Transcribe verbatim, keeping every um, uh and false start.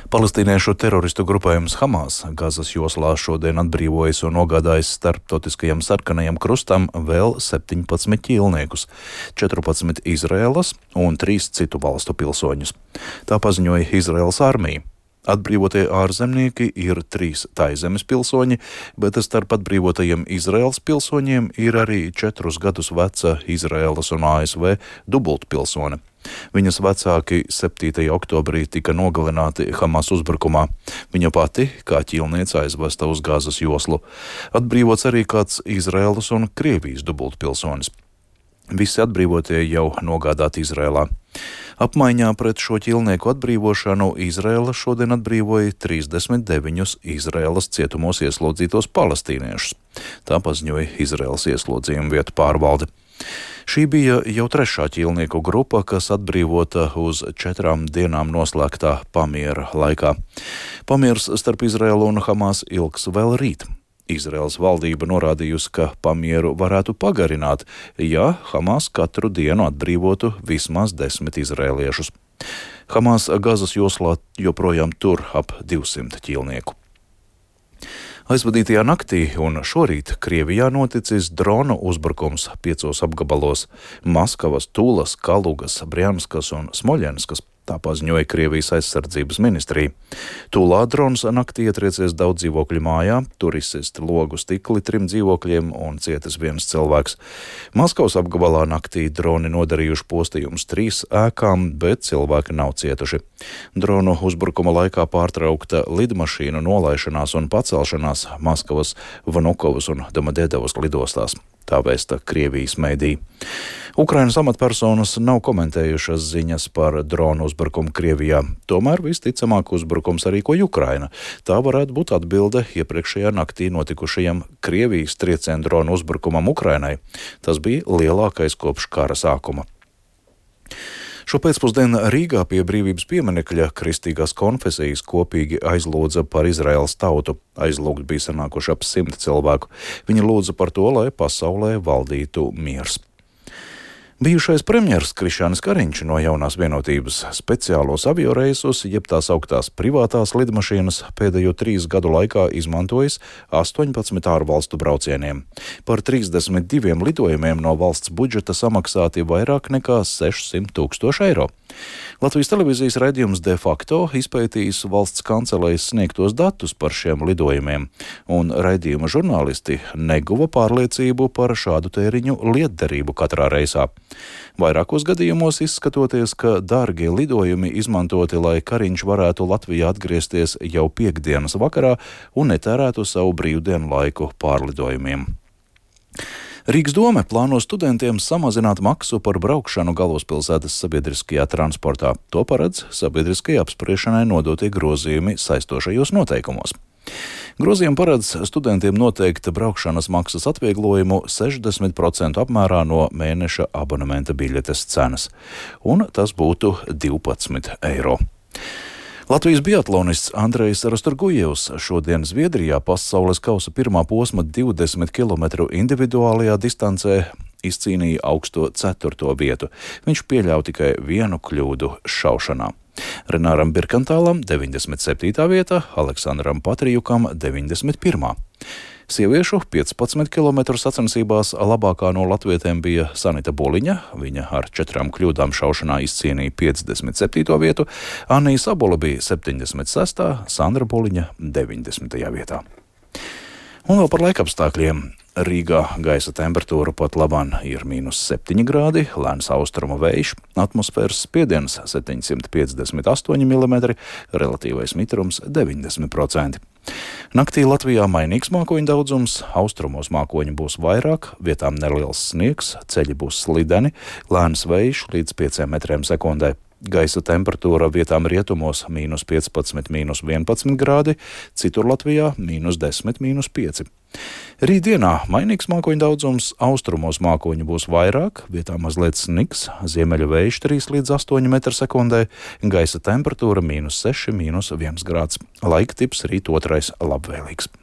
Palestīniešu teroristu grupējums Hamas Gazas joslā šodien atbrīvojas un nogādājis starptautiskajam sarkanajam krustam vēl septiņpadsmit ķīlniekus, četrpadsmit Izraēlas un trīs citu valstu pilsoņus. Tā paziņoja Izraēlas armija. Atbrīvotie ārzemnieki ir trīs Taizemes pilsoņi, bet starp atbrīvotajiem Izraēlas pilsoņiem ir arī četrus gadus veca Izraēlas un A S V dubultpilsone. Viņas vecāki septītajā oktobrī tika nogalināti Hamas uzbrukumā. Viņa pati, kā ķīlniece, aizvesta uz Gazas joslu. Atbrīvots arī kāds Izraēlas un Krievijas dubultpilsonis. Visi atbrīvotie jau nogādāti Izrēlā. Apmaiņā pret šo ķīlnieku atbrīvošanu Izrēla šodien atbrīvoja trīsdesmit deviņus Izrēlas cietumos ieslodzītos palestīniešus. Tā paziņoja Izrēlas ieslodzījuma vietu pārvalde. Šī bija jau trešā ķīlnieku grupa, kas atbrīvota uz četrām dienām noslēgtā pamiera laikā. Pamiers starp Izrēlu un Hamas ilgs vēl rīt. Izraēlas valdība norādījusi, ka pamieru varētu pagarināt, ja Hamas katru dienu atbrīvotu vismaz desmit izraēliešus. Hamas Gazas joslā joprojām tur ap divsimt ķīlnieku. Aizvadītajā naktī un šorīt Krievijā noticis dronu uzbrukums piecos apgabalos - Maskavas, Tulas, Kalugas, Brianskas un Smoļenskas. Tā paziņoja Krievijas aizsardzības ministrija. Tulā drons naktī ietriecies daudz dzīvokļu mājā, tur izsist logu stikli trim dzīvokļiem un cietis viens cilvēks. Maskavas apgabalā naktī droni nodarījuši postījumus trīs ēkām, bet cilvēki nav cietuši. Dronu uzbrukuma laikā pārtraukta lidmašīnu nolaišanās un pacelšanās Maskavas, Vnukovas un Domodedovas lidostās. Tā vēsta Krievijas mēdī. Ukrainas amatpersonas nav komentējušas ziņas par dronu uzbrukumu Krievijā. Tomēr visticamāk uzbrukums rīkoja Ukraina. Tā varētu būt atbilde iepriekšējā naktī notikušajam Krievijas triecienu dronu uzbrukumam Ukrainai. Tas bija lielākais kopš kara sākuma. Šo pēcpusdienu Rīgā pie Brīvības pieminekļa kristīgās konfesijas kopīgi aizlūdza par Izraēlas tautu. Aizlūgt bija sanākuši ap simt cilvēku. Viņi lūdza par to, lai pasaulē valdītu miers. Bijušais premjers Krišjānis Kariņš no Jaunās vienotības speciālos avioreisus, jeb tās augtās privātās lidmašīnas, pēdējo trīs gadu laikā izmantojis astoņpadsmit ārvalstu braucieniem. Par trīsdesmit diviem lidojumiem no valsts budžeta samaksāti vairāk nekā sešsimt tūkstoši eiro. Latvijas televīzijas raidījums De facto izpētījis valsts kancelējas sniegtos datus par šiem lidojumiem, un raidījuma žurnālisti neguva pārliecību par šādu tēriņu lietderību katrā reisā. Vairākos gadījumos izskatoties, ka dārgie lidojumi izmantoti, lai Kariņš varētu Latvijā atgriezties jau piektdienas vakarā un netērētu savu brīvdienu laiku pārlidojumiem. Rīgas dome plāno studentiem samazināt maksu par braukšanu galvaspilsētas sabiedriskajā transportā. To paredz sabiedriskajai apspriešanai nodotie grozījumi saistošajos noteikumos. Grozījumi paredz studentiem noteikt braukšanas maksas atvieglojumu sešdesmit procentu apmērā no mēneša abonementa biļetes cenas, un tas būtu divpadsmit eiro. Latvijas biatlonists Andrejs Rastorgujevs šodien Zviedrijā pasaules kausa pirmā posma divdesmit kilometru individuālajā distancē izcīnīja augsto ceturto vietu. Viņš pieļāva tikai vienu kļūdu šaušanā. Renāram Birkantālam deviņdesmit septītā vieta, Aleksandram Patrijukam deviņdesmit pirmā. Sieviešu piecpadsmit kilometru sacensībās labākā no latvietēm bija Sanita Buliņa. Viņa ar četrām kļūdām šaušanā izcīnīja piecdesmit septīto vietu, Anija Sabola bija septiņdesmit sestā, Sandra Buliņa deviņdesmitajā vietā. Un vēl par laikapstākļiem. Rīgā gaisa temperatūra pat labāk ir mīnus septiņi grādi, lēns austrumu vējš, atmosfēras spiediens septiņsimt piecdesmit astoņi milimetri, relatīvais mitrums deviņdesmit procenti. Naktī Latvijā mainīgs mākoņu daudzums, austrumos mākoņi būs vairāk, vietām neliels sniegs, ceļi būs slideni, lēns vējš līdz pieciem metriem sekundē. Gaisa temperatūra vietām rietumos mīnus piecpadsmit, mīnus vienpadsmit grādi, citur Latvijā mīnus desmit, mīnus pieci. Rītdienā mainīgs mākoņu daudzums, austrumos mākoņi būs vairāk, vietām mazliet sniks, ziemeļu vējš trīs līdz astoņi metri sekundē, gaisa temperatūra mīnus seši, mīnus viens grāds. Laika tips rīt otrais labvēlīgs.